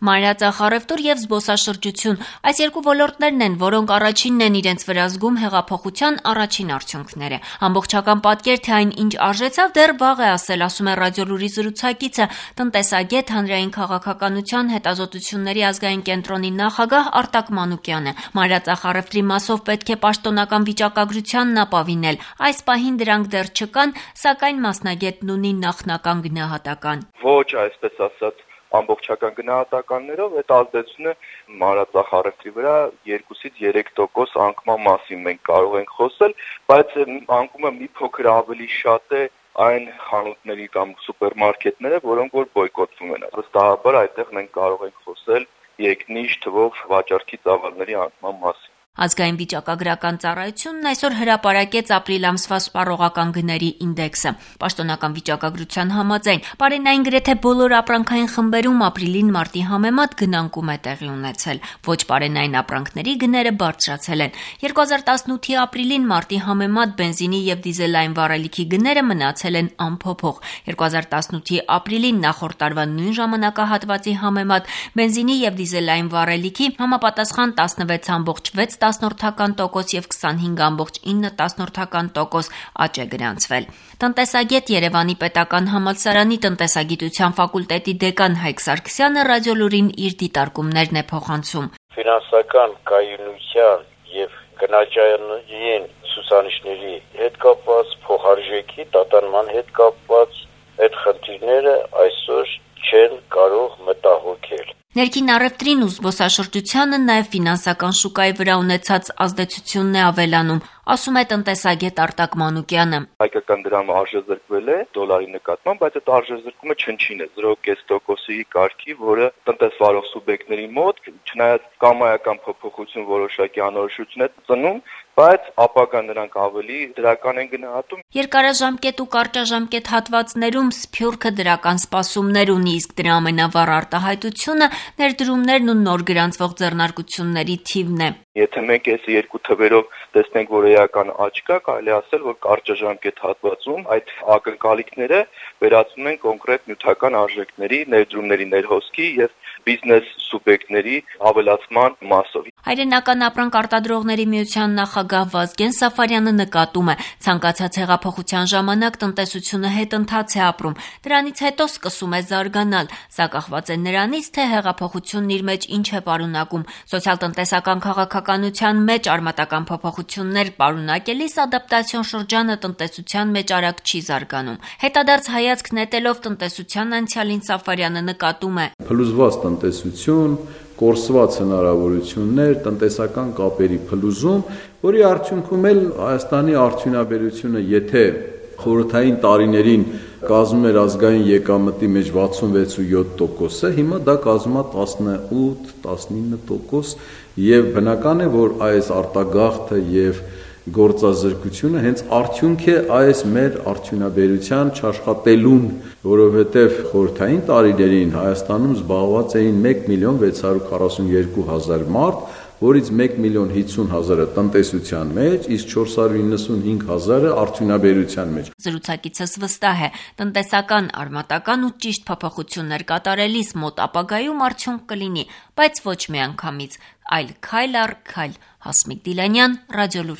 Մանրածախարևտուր եւ զբոսաշրջություն այս երկու ոլորտներն են, որոնք առաջինն են իրենց վրա զգում հեղափոխության առաջին արդյունքները։ Ամբողջական պատկեր, թե այն ինչ արժեցավ, դեռ վաղ է ասել, ասում է Ռադիոլուրի զրուցակիցը, տնտեսագետ, հանրային քաղաքականության հետազոտությունների ազգային կենտրոնի նախագահ Արտակ Մանուկյանը։ Մանրածախարևտրի մասով պետք է պաշտոնական վիճակագրությանն ապավինել։ Այս պահին դրանք դեռ չկան, սակայն մասնագետն ունի նախնական գնահատական։ Ոչ, այսպես ասած, ամբողջական գնահատականներով այդ ազդեցությունը մանրածախարևտրի վրա 2-3% անկման մասին մենք կարող ենք խոսել, բայց անկումը մի փոքր ավելի շատ է այն խանութների կամ սուպերմարկետները, որոնք որ բոյկոտվում են։ Վստահաբար այդտեղ մենք կարող ենք խոսել երկնիշ թվով վաճառքի ծավալների անկման մասին։ Ազգային վիճակագրական ծառայությունն այսօր հրապարակեց ապրիլ ամսվա սպառողական գների ինդեքսը։ Պաշտոնական վիճակագրության համաձայն պարենային գրեթե բոլոր ապրանքային խմբերում ապրիլին մարտի համեմատ գնանկում է տեղի ունեցել։ Ոչ պարենային ապրանքների գները բարձրացել են։ 2018-ի ապրիլին մարտի համեմատ բենզինի եւ դիզելային վառելիքի գները մնացել են անփոփոխ։ 2018-ի ապրիլին նախորդ տարվա նույն ժամանակահատվածի համեմատ բենզինի եւ դիզելային վառելիքի համապատասխան 16.6% եւ 25.9% աճ է գրանցվել։ Տնտեսագետ Երևանի պետական համալսարանի տնտեսագիտության ֆակուլտետի դեկան Հայկ Սարգսյանը Ռադիոլուրին իր դիտարկումներն է փոխանցում։ Ֆինանսական կայունության եւ գնաճային ցուցանիշների հետ կապված, փոխարժեքի տատանման հետ կապված այդ խնդիրները այսօր չեն կարող մտահոգել։ Ներքին առևտրին ու զբոսաշրջությանը նաև ֆինանսական շուկայի վրա ունեցած ազդեցությունն է ավելանում, ասում է տնտեսագետ Արտակ Մանուկյանը։ Հայկական դրամը արժեզրկվել է դոլարի նկատմամբ, բայց այդ արժեզրկումը չնչին է 0.5%-ի կարգի, որը տնտեսվարող սուբյեկտների մոտ, չնայած կամայական փոփոխություն որոշակի անորոշություն է ծնում, բայց ապագա նրանք ավելի դրական են գնահատում։ Երկարաժամկետ ու կարճաժամկետ հատվածներում սփյուռքը դրական սպասումներ ունի, իսկ դրա ամենավառ արտահայտությունը ներդրումներն ու նոր գրանցվող ձեռնարկությունների թիվն է։ Եթե մենք այս երկու թվերով տեսնենք, որ էական աճ կա, կարելի ասել, որ կարճաժամկետ հատվածում այդ ակնկալիքները վերածվում են կոնկրետ նյութական արժեքների, ներդրումների ներհոսքի եւ բիզնես սուբյեկտների ավելացման մասով։ Հայրենական ապրանք արտադրողների միության նախագահ Վազգեն Սաֆարյանը նկատում է, ցանկացած հեղափոխության ժամանակ տնտեսությունը հետընթաց է ապրում, դրանից հետո սկսում է զարգանալ, սա կախված է նրանից, թե հեղափոխությունն իր մեջ ինչ է պարունակում։ Սոցիալ-տնտեսական քաղաքականության մեջ արմատական փոփոխություններ պարունակելիս ադապտացիոն շրջանը տնտեսության մեջ արագ չի զարգանում։ Հետադարձ հայացք նետելով տնտեսության անցյալին Սաֆարյանը նկատում է. Փլուզված տնտեսություն, կորսված հնարավորություններ, տնտեսական կապերի փլուզում, որի արդյունքում էլ Հայաստանի արդյունաբերությունը, եթե խորհրդային տարիներին կազմում էր ազգային եկամտի մեջ 66.7%, հիմա դա կազմում է 18-19%, եւ բնական է, որ այս արտագաղթը եւ գործազրկությունը հենց արդյունք է այս մեր արդյունաբերության չաշխատելուն, որովհետև խորհրդային տարիներին Հայաստանում զբաղված էին 1.642.000 մարդ, որից 1.050.000-ը տնտեսության մեջ, իսկ 495.000-ը արդյունաբերության մեջ։ Զրուցակիցս վստահ է, տնտեսական, արմատական ու ճիշտ փոփոխություններ կատարելիս մոտ ապագայում արդյունք կլինի, բայց ոչ միանգամից, այլ քայլ առ քայլ։ Հասմիկ Դիլանյան, Ռադիոլուր։